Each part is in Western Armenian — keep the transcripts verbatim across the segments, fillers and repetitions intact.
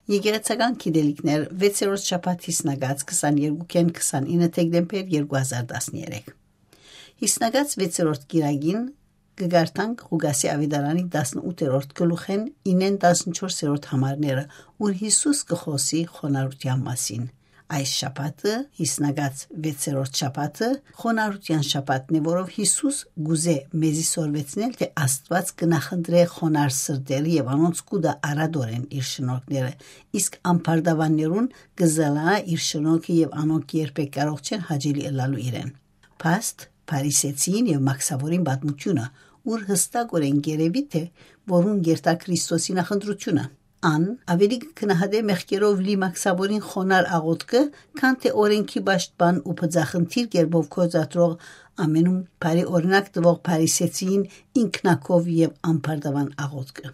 Եկեղեցական գիտելիքներ, վեցերորդ շաբաթ, յիսնակաց քսաներկուքէն քսանինը դեկտեմբեր երկու հազար տասներեք։ Յիսնակաց վեցերորդ կիրակին կը կարդանք Ղուկասի աւետարանի տասնութերորդ գլուխէն ինեն տասնչորսերորդ համարները, ուր Յիսուս կը խօսի խոնարհութեան մասին։ Այս շաբաթը, յիսնակաց վեցերորդ շաբաթը, խոնարհութեան շաբաթն է, որով Յիսուս կ'ուզէ մեզի սորվեցնել, թէ Աստուած կը նախընտրէ խոնարհ սրտերը եւ անոնց կու տայ առատորեն իր շնորհքները, իսկ ամբարտավաններուն կը զլանայ իր շնորհքը եւ անոնք երբեք կարող չեն հաճելի ըլլալու իրեն։ Փաստ, Փարիսեցիին եւ Մաքսաւորին պատմութիւնը, ուր յստակօրէն կ'երեւի թէ որուն կ'երթայ Քրիստոսի նախընտրութիւնը։ Ան աւելի կը գնահատէ մեղքերով լի Մաքսաւորին խոնարհ աղօթքը, քան թէ օրէնքի պաշտպան ու բծախնդիր կերպով գործադրող, ամենում բարի օրինակ տուող Փարիսեցիին ինքնակով եւ ամբարտաւան աղօթքը։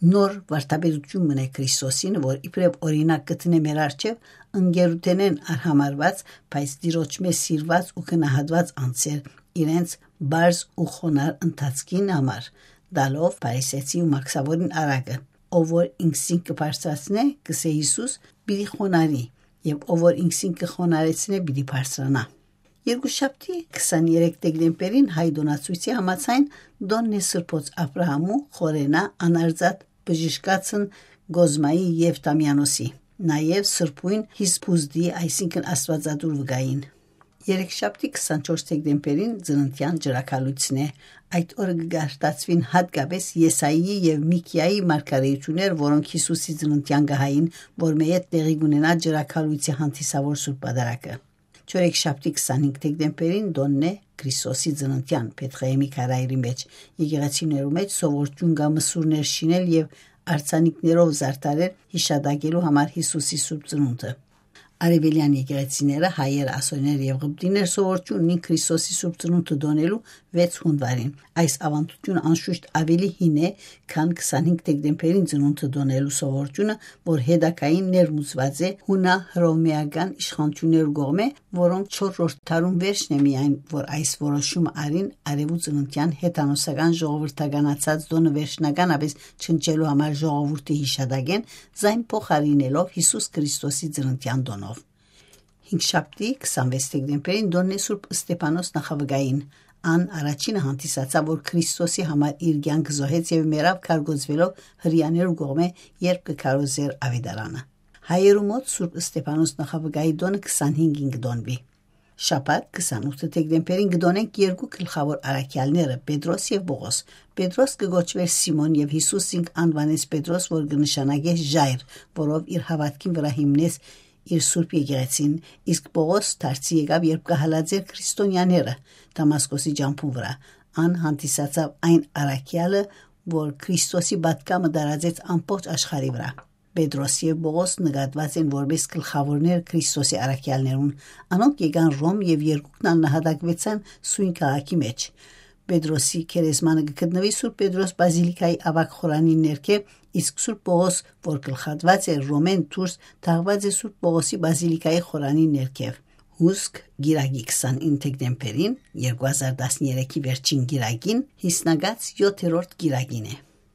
Նոր վարդապետութիւն մնայ Քրիստոսին, որ իբրեւ օրինակ կը դնէ մեր առջեւ ընկերութենէն արհամարհուած, բայց Տիրոջմէ սիրուած ու գնահատուած անձեր իրենց պարզ ու խոնարհ ընթացքին համար, տալով Փարիսեցի ու Մաքսաւորին առակը։ «Ով որ ինքզինք կը բարձրացնէ, կ'ըսէ Յիսուս, պիտի խոնարհի, եւ ով որ ինքզինք կը խոնարհեցնէ, պիտի բարձրանայ»։ Երկուշաբթի, քսաներեք դեկտեմբերին, հայ տօնացոյցի համաձայն, տօնն է Սրբոց Աբրահամու, Խորենա, Անարծաթ, Բժշկացն, Կոզմայի եւ Տամիանոսի, նաեւ Սրբոյն Հիսպուզդի, այսինքն Աստուածատուր վկային։ Երեքշաբթի, քսանչորս դեկտեմբերին, ծննդեան ճրագալոյցն է։ Այդ օրը կը գարտացուին յատկապէս Եսայիի եւ Միքիայի մարգարէութիւններ, որոնք Յիսուսի ծննդեան կը հային, որ մէյետ տեղի կ'ունենայ ճրագալոյցի հանդիսաւոր Սուրբ Պատարագը։ Չորեքշաբթի, քսանհինգ դեկտեմբերին, տօնն է Քրիստոսի ծննդեան Բեթղեհեմի քարայրի մէջ։ Եկեղեցիներու մէջ սովորութիւն կայ մսուրներ շինել եւ արձանիկներով զարդարել յիշատակելու համար Յիսուսի Սուրբ Ծնունդը։ Արեւելեան եկեղեցիները, հայեր, ասորներ եւ ղպտիներ սովորութիւն ունին Քրիստոսի Սուրբ Ծնունդը տօնելու վեց յունուարին։ Այս աւանդութիւնը անշուշտ աւելի հին է, քան քսանհինգ դեկտեմբերին ծնունդը տօնելու սովորութիւնը, որ հետագային ներմուծուած է յունա-հռովմէական իշխանութիւններու կողմէ, որոնք չորրորդ դարուն վերջն է միայն, որ այս որոշումը առին արեւու ծննդեան հեթանոսական ժողովրդականացած տօնը վերջնականապէս չնչելու համար ժողովուրդի յիշատակէն, զայն փոխարինելով Յիսուս Քրիստոսի ծննդեան տօնով։ Հինգշաբթի, քսանվեց դեկտեմբերին, տօնն է Սուրբ Ստեփանոս նախավկային։ Ան առաջինը հանդիսացաւ, որ Քրիստոսի համար իր կեանքը զոհեց եւ մեռաւ քարկոծուելով Հրեաներու կողմէ, երբ կը քարոզէր աւետարանը։ Հայերու մօտ Սուրբ Ստեփանոս նախավկայի տօնը քսանհինգին կը տօնուի։ Շաբաթ, քսանութ դեկտեմբերին, կը տօնենք երկու գլխաւոր առաքեալները՝ Պետրոս եւ Պողոս։ Պետրոս կը կոչուէր Սիմոն եւ Յիսուս զինք անուանեց Պետրոս, որ կը նշանակէ ժայռ, որով իր հաւատքին վրայ հիմնեց իր Սուրբ Եկեղեցին, իսկ Պողոս դարձի եկաւ, երբ կը հալածէր քրիստոնեաները Դամասկոսի ճամբուն վրայ։ Ան հանդիսացաւ այն առաքեալը, որ Քրիստոսի պատգամը տարածեց ամբողջ աշխարհի վրայ։ Պետրոս եւ Պողոս նկատուած են որպես գլխաւորներ Քրիստոսի առաքեալներուն։ Անոնք եկան Ռոմ եւ երկուքն ալ նահատակուեցան սոյն քաղաքի մէջ։ Պետրոսի գերեզմանը կը գտնուի Սուրբ Պետրոս բազիլիքայի աւագ խորանին ներքեւ, իսկ Սուրբ Պողոս, որ գլխատուած է Ռոմէն դուրս, թաղուած է Սուրբ Պողոսի բազիլիքայի խորանին ներքեւ։ Հուսկ, կիրակի, քսանինը դեկտեմբերին, երկու հազար տասներեքի վերջին կիրակին, յիսնակաց յոթերորդ կիրակին է։